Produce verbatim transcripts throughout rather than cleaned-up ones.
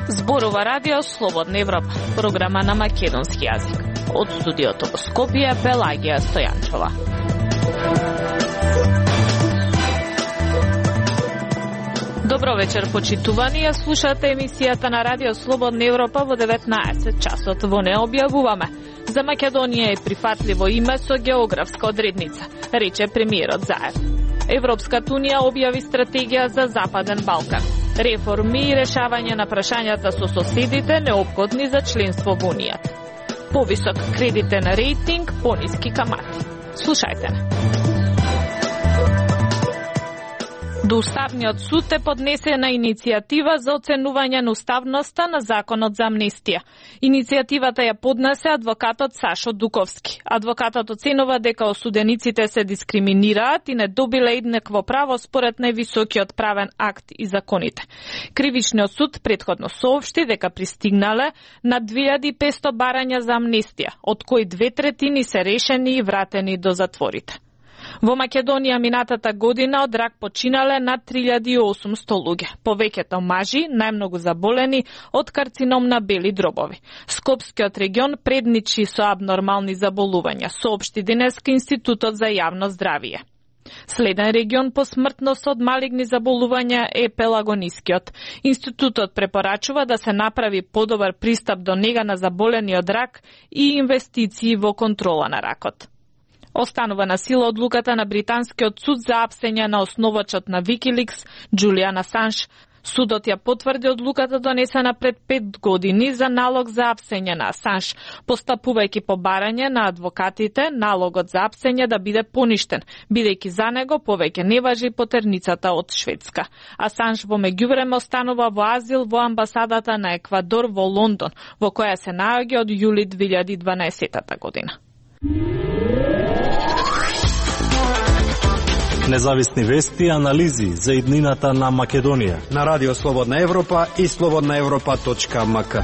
Зборува Радио Слободна Европа, програма на македонски јазик. Од студиото во Скопје, Пелагија Стојанчова. Добро вечер, почитувани, ја слушате емисијата на Радио Слободна Европа во деветнаесет часот. Во не објавуваме. За Македонија е прифатливо име со географска одредница, рече премиерот Заев. Европската унија објави стратегија за Западен Балкан. Реформи и решавање на прашањата со соседите неопходни за членство во Унијата. Повисок кредитен рейтинг, пониски камати. Слушајте не. До Уставниот суд е поднесена иницијатива за оценување на уставноста на законот за амнестија. Иницијативата ја поднесе адвокатот Сашо Дуковски. Адвокатот оценува дека осудениците се дискриминираат и не добиле еднакво право според највисокиот правен акт и законите. Кривичниот суд претходно соопшти дека пристигнале на две илјади и петсто барања за амнестија, од кои две третини се решени и вратени до затворите. Во Македонија минатата година од рак починале над три илјади и осумсто луѓе, повеќето мажи, најмногу заболени од карцином на бели дробови. Скопскиот регион предничи со абнормални заболувања, соопшти денеска Институтот за јавно здравје. Следен регион по смртност од малигни заболувања е Пелагонискиот. Институтот препорачува да се направи подобар пристап до нега на заболени од рак и инвестиции во контрола на ракот. Останува на сила одлуката на британскиот суд за апсење на основачот на Wikileaks, Џулијан Асанж. Судот ја потврди одлуката донесена пред пет години за налог за апсење на Асанж, постапувајќи по барање на адвокатите налогот за апсење да биде поништен, бидејќи за него повеќе не важи потерницата од Шведска. Асанж во меѓувреме останува во азил во амбасадата на Еквадор во Лондон, во која се наоѓа од јули две илјади и дванаесета година. Независни вести и анализи за иднината на Македонија на Радио Слободна Европа и слободна европа точка ем ка.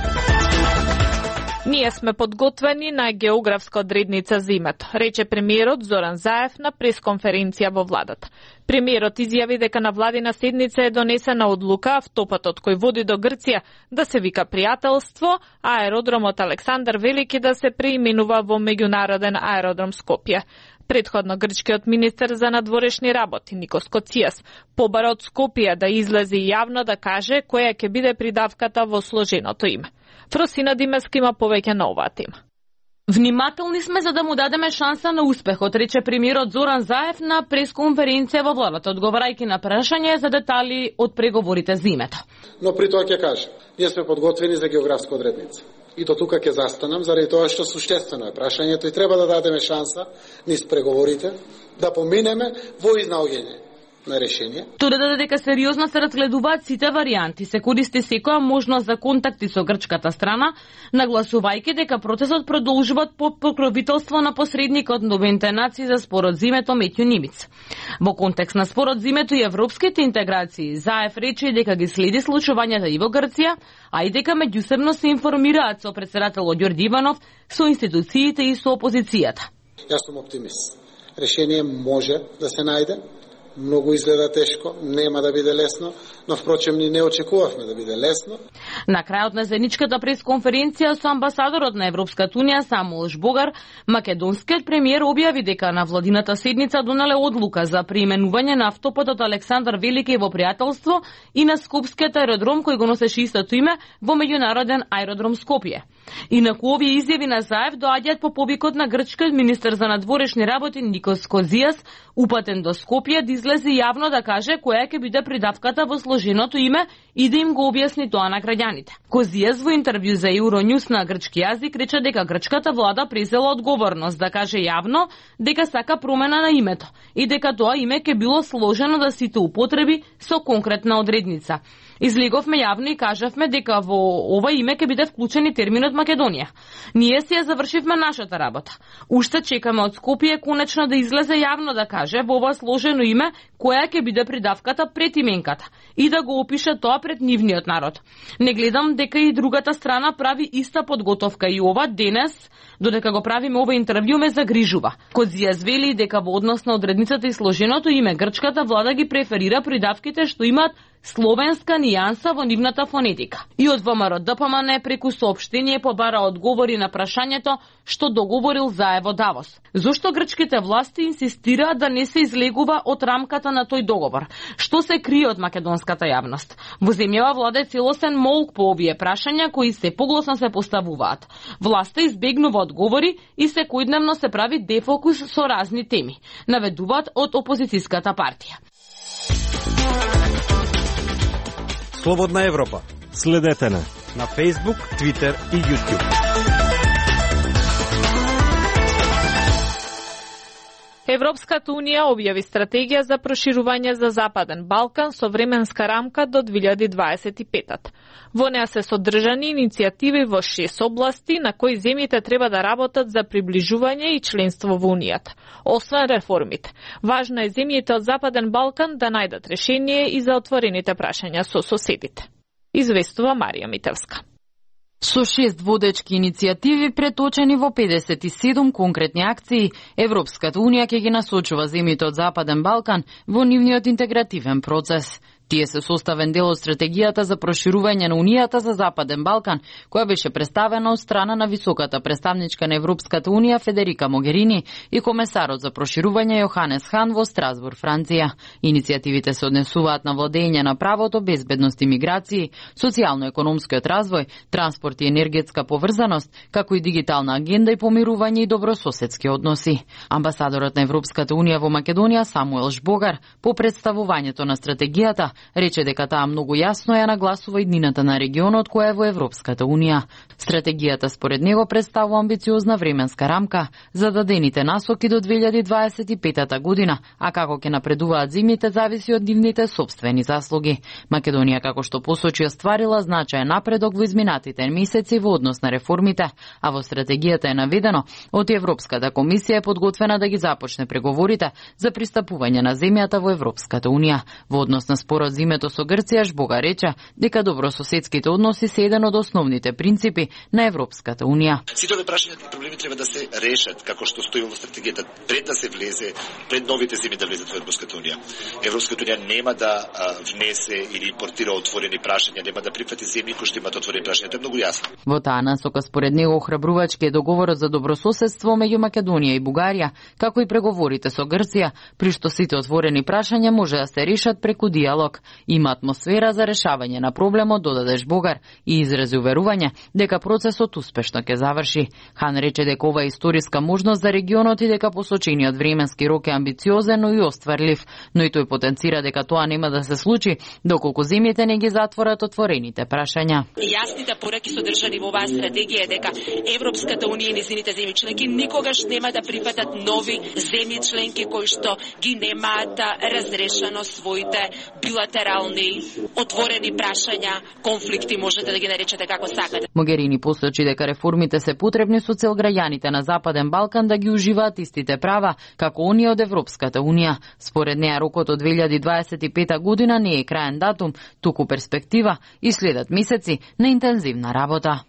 Ние сме подготвени на географска одредница за името, рече премиерот Зоран Заев на пресконференција во владата. Премиерот изјави дека на владина седница е донесена одлука автопатот кој води до Грција да се вика Пријателство, а аеродромот Александар Велики да се преименува во Меѓународен аеродром Скопје. Предходно грчкиот министер за надворешни работи Никос Коцијас побара од Скопје да излезе јавно да каже која ќе биде придавката во сложеното име. Фросина Димеска има повеќе на оваа тема. Внимателни сме за да му дадеме шанса на успехот, рече премиерот Зоран Заев на пресконференција во владата, одговарајќи на прашање за детали од преговорите за името. Но при тоа ќе кажам, ние сме подготвени за географска одредница. И до тука ќе застанам, заради тоа што суштествено е прашањето и треба да дадеме шанса низ преговорите да поминеме во изнаоѓање на решение. Тоа даде дека сериозно се разгледуваат сите варијанти, се користи секоја можност за контакти со грчката страна, нагласувајќи дека процесот продолжува под покровителство на посредникот на Обединетите нации за спорот за името Метју Нимиц. Во контекст на спорот за името и европските интеграции, Заев рече дека ги следи случувањата и во Грција, а и дека меѓусебно се информираат со претседателот Ѓорѓи Иванов, со институциите и со опозицијата. Јас сум оптимист. Решение може да се најде. Многу изгледа тешко, нема да биде лесно, но впрочем ни не очекувавме да биде лесно. На крајот на заедничката пресконференција со амбасадорот на Европската унија Самуел Жбогар, македонскиот премиер објави дека на владината седница донале одлука за преименување на автопатот Александар Велики во Пријателство и на Скопскиот аеродром кој го носеше истото име во Меѓународен аеродром Скопје. Инаку овие изјави на Заев доаѓаат по повикот на грчкиот министер за надворешни работи Никос Козијас, упатен до Скопје да излезе јавно да каже која ќе биде придавката во сложеното име и да им го објасни тоа на граѓаните. Козијас во интервју за Euronews на грчки јазик рече дека грчката влада презела одговорност да каже јавно дека сака промена на името и дека тоа име ќе било сложено да сите употреби со конкретна одредница. Излеговме јавно и кажавме дека во ова име ќе биде вклучен и терминот Македонија. Ние си ја завршивме нашата работа. Уште чекаме од Скопје конечно да излезе јавно да каже во ова сложено име која ќе биде придавката пред именката и да го опише тоа пред нивниот народ. Не гледам дека и другата страна прави иста подготовка и ова денес, додека го правиме ова интервју, ме загрижува. Козија звели дека во однос на одредницата и сложеното име грчката влада ги преферира придавките што имаат словенска нијанса во нивната фонетика. И од ВМРО Д П М Н преку соопштение побара одговори на прашањето што договорил заедно во Давос. Зошто грчките власти инсистираат да не се излегува од рамката на тој договор? Што се крие од македонската јавност? Во земјава владе целосен молк по овие прашања кои се погласно се поставуваат. Власта избегнува одговори и секојдневно се прави дефокус со разни теми, наведуваат од опозицијската партија. Слободна Европа. Следете на на Facebook, Twitter и YouTube. Европската унија објави стратегија за проширување за Западен Балкан со временска рамка до две илјади дваесет и пета. Во неа се содржани иницијативи во шест области на кои земјите треба да работат за приближување и членство во Унијата. Освен реформите, важно е земјите од Западен Балкан да најдат решение и за отворените прашања со соседите. Известува Марија Митевска. Со шест водечки иницијативи преточени во педесет и седум конкретни акции, Европската унија ќе ги насочува земјите од Западен Балкан во нивниот интегративен процес. Тие се составен дел од стратегијата за проширување на Унијата за Западен Балкан, која беше представена од страна на високата представничка на Европската Унија Федерика Могерини и комесарот за проширување Јоханес Хан во Страсбург, Франција. Иницијативите се однесуваат на владење на правото, безбедност и миграции, социјално-економскиот развој, транспорт и енергетска поврзаност, како и дигитална агенда и помирување и добрососедски односи. Амбасадорот на Европската Унија во Македонија Самуел Жбогар по представувањето на стратегијата рече дека таа многу јасно ја нагласува иднината на регионот која е во Европската Унија. Стратегијата според него представува амбициозна временска рамка за дадените насоки до две илјади дваесет и пета година, а како ќе напредуваат земјите зависи од нивните сопствени заслуги. Македонија, како што посочи, остварила значаен напредок во изминатите месеци во однос на реформите, а во стратегијата е наведено од Европската комисија е подготвена да ги започне преговорите за пристапување на земјата во Европската Унија. Во однос на спорот за името со Грција, Жбога рече дека добрососедските односи се еден од основните принципи на Европската Унија. Сите овие прашања и проблеми треба да се решат како што стои во стратегијата пред да се влезе, пред новите земји да влезат во Европската Унија. Европската Унија нема да а, внесе или импортира отворени прашања, нема да прифати земји кои што имаат отворени прашања, тоа е многу јасно. Во таа насока според него охрабрувачки е договорот за добрососедство меѓу Македонија и Бугарија, како и преговорите со Грција, при што сите отворени прашања може да се решат преку диалог. Има атмосфера за решавање на проблемот, додаде Жбогар и изрази уверување дека процесот успешно ќе заврши. Хан рече дека ова е историска можност за регионот и дека посочениот временски рок е амбициозен, но и остварлив, но и тој потенцира дека тоа нема да се случи доколку земјите не ги затворат отворените прашања. Јасните пораки содржани во оваа стратегија е дека Европската Унија и незините земји членки никогаш нема да прифатат нови земји членки кои што ги немаат разрешено своите билатерални отворени прашања, конфликти, можете да ги наречете како сакате. Могерини посочи дека реформите се потребни со цел граѓаните на Западен Балкан да ги уживаат истите права како оние од Европската Унија. Според неа рокот од две илјади дваесет и пета година не е краен датум, туку перспектива и следат месеци на интензивна работа.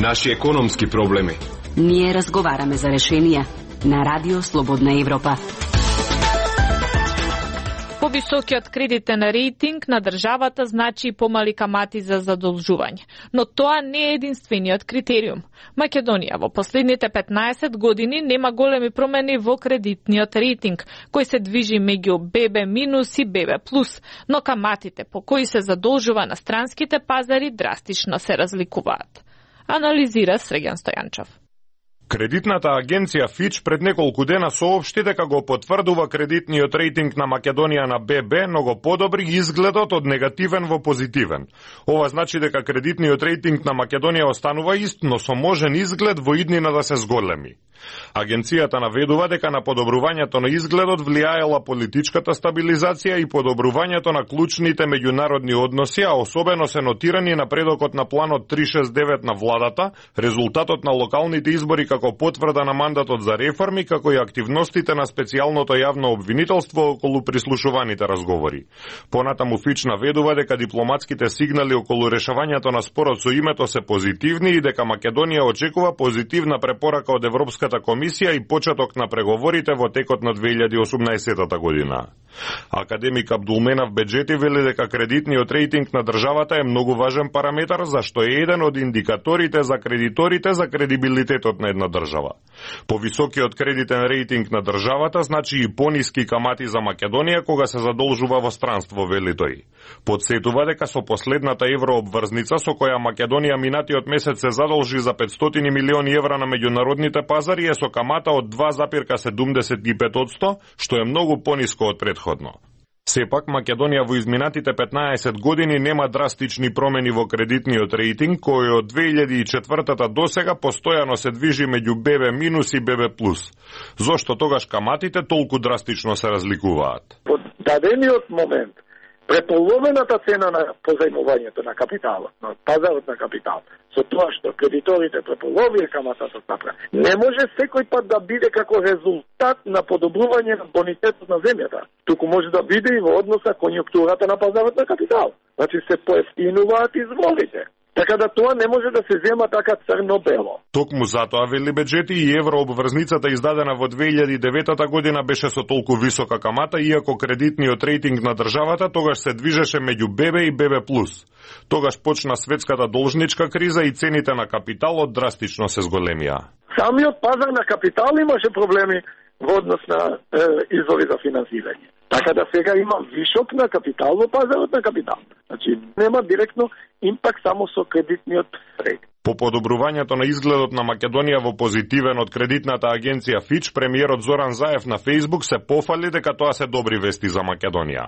Наши економски проблеми. Ние разговараме за решенија на Радио Слободна Европа. Повисокиот кредитен рейтинг на државата значи помали камати за задолжување, но тоа не е единствениот критериум. Македонија во последните петнаесет години нема големи промени во кредитниот рейтинг, кој се движи меѓу Б Б минус и Б Б плюс, но каматите по кои се задолжува на странските пазари драстично се разликуваат. Анализира Среган Стојанчов. Кредитната агенција Fitch пред неколку дена соопшти дека го потврдува кредитниот рейтинг на Македонија на Б Б, но го подобри изгледот од негативен во позитивен. Ова значи дека кредитниот рейтинг на Македонија останува ист, но со можен изглед во иднина да се зголеми. Агенцијата наведува дека на подобрувањето на изгледот влијаела политичката стабилизација и подобрувањето на клучните меѓународни односи, а особено се нотирани напредокот на планот триста шесдесет и девет на владата, резултатот на локалните избори како потврда на мандатот за реформи, како и активностите на специјалното јавно обвинителство околу прислушуваните разговори. Понатаму Фич наведува дека дипломатските сигнали околу решавањето на спорот со името се позитивни и дека Македонија очекува позитивна препорака од Европската комисија и почеток на преговорите во текот на две илјади и осумнаесетта година. Академик Абдулменав Беджети вели дека кредитниот рейтинг на државата е многу важен параметар, зашто е еден од индикаторите за кредиторите за кредибилитетот на една држава. Повисокиот кредитен рейтинг на државата значи и пониски камати за Македонија кога се задолжува во странство, вели тој. Подсетува дека со последната еврообврзница со која Македонија минатиот месец се задолжи за петстотини милиони евра на меѓународните пазари е со камата од два запирка седумдесет и пет одсто, што е многу пониско од претходно. Сепак, Македонија во изминатите петнаесет години нема драстични промени во кредитниот рейтинг, кој од две илјади и четвртата до сега постојано се движи меѓу Б Б минус и Б Б плюс. Зошто тогаш каматите толку драстично се разликуваат? Под дадениот момент, преполовената цена на позајмувањето на капиталот, на пазарот на капитал, со тоа што кредиторите преполовија каматата направа, не може секој пат да биде како резултат на подобрување на бонитетот на земјата. Туку може да биде и во однос на конјунктурата на пазарот на капитал. Значи се поевтинуваат изволите. Така да тоа не може да се зема така црно-бело. Токму затоа, вели Беджети, и еврообврзницата издадена во две илјади и девета година беше со толку висока камата, иако кредитниот рейтинг на државата тогаш се движеше меѓу Б Б и Б Б плюс. Тогаш почна светската должничка криза и цените на капиталот драстично се зголемија. Самиот пазар на капитал имаше проблеми во однос на е, извори за финансирање. Така да сега има вишок на капитал во пазарот на капитал. Значи нема директно импакт само со кредитниот рейтинг. По подобрувањето на изгледот на Македонија во позитивен од кредитната агенција Fitch, премиерот Зоран Заев на Facebook се пофали дека тоа се добри вести за Македонија.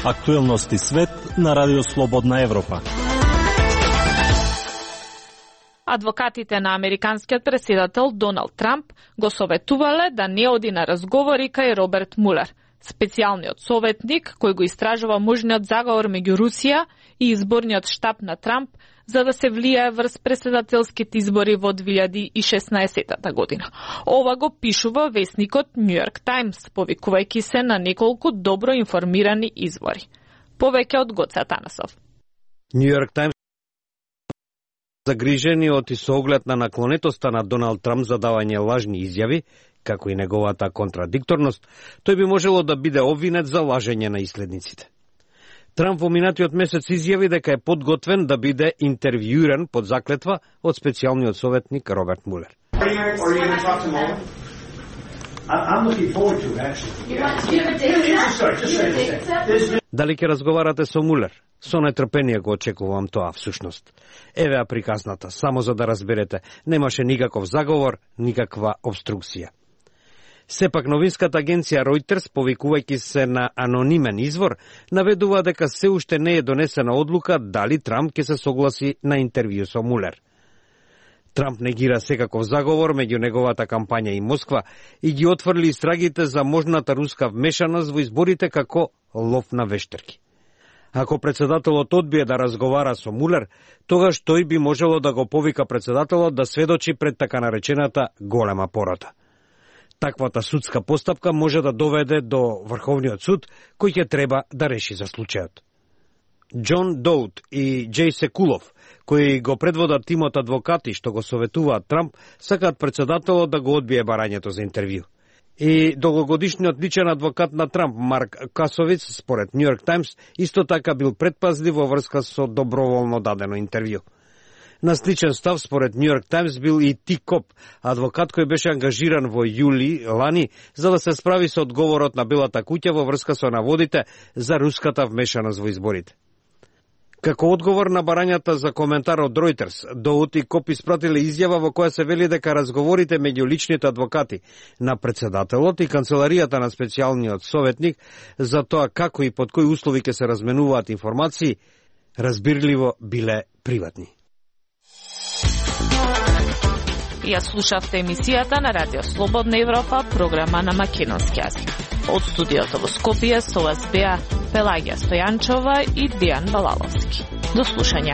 Актуелности свет на Радио Слободна Европа. Адвокатите на американскиот претседател Доналд Трамп го советувале да не оди на разговори кај Роберт Мулер, специјалниот советник кој го истражува можниот заговор меѓу Русија и изборниот штаб на Трамп за да се влијае врз претседателските избори во две илјади и шеснаесетта година. Ова го пишува весникот Нью Йорк Таймс, повикувајќи се на неколку добро информирани извори. Повеќе од Гоце Атанасов. Нью Йорк Таймс загрижени од и со оглед на наклонетоста на Доналд Трамп за давање лажни изјави, како и неговата контрадикторност, тој би можело да биде обвинет за лажење на исследниците. Трамп во минатиот месец изјави дека е подготвен да биде интервјуиран под заклетва од специјалниот советник Роберт Мулер. Дали ќе разговарате со Мулер? Со нетрпение го очекувам тоа всушност. Еве ја приказната, само за да разберете, немаше никаков заговор, никаква обструкција. Сепак новинската агенција Reuters, повикувајќи се на анонимен извор, наведува дека се уште не е донесена одлука дали Трамп ќе се согласи на интервју со Мулер. Трамп негира секаков заговор меѓу неговата кампања и Москва и ги отврли истрагите за можната руска вмешаност во изборите како лов на вештерки. Ако председателот одбие да разговара со Мулер, тогаш тој би можело да го повика председателот да сведочи пред така наречената голема порота. Таквата судска постапка може да доведе до Врховниот суд, кој ќе треба да реши за случајот. Џон Доут и Џеј Секулов, кои го предводат тимот адвокати што го советуваат Трамп, сакаат председателот да го одбие барањето за интервју. И долгогодишниот личен адвокат на Трамп, Марк Касовиц, според Нью Йорк Таймс, исто така бил предпазлив во врска со доброволно дадено интервју. На сличен став, според Нью Йорк Таймс, бил и Ти Коп, адвокат кој беше ангажиран во јули лани за да се справи со одговорот на Белата куќа во врска со наводите за руската вмешаност во изборите. Како одговор на барањата за коментар од Reuters, Доут и Коп испратиле изјава во која се вели дека разговорите меѓу личните адвокати на председателот и канцеларијата на специјалниот советник за тоа како и под кои услови ќе се разменуваат информации, разбирливо биле приватни. Ја слушавте емисијата на Радио Слободна Европа, програма на македонски јазик. Од студиото во Скопје со вас беа Пелагија Стојанчова и Дијан Балаловски. До слушање.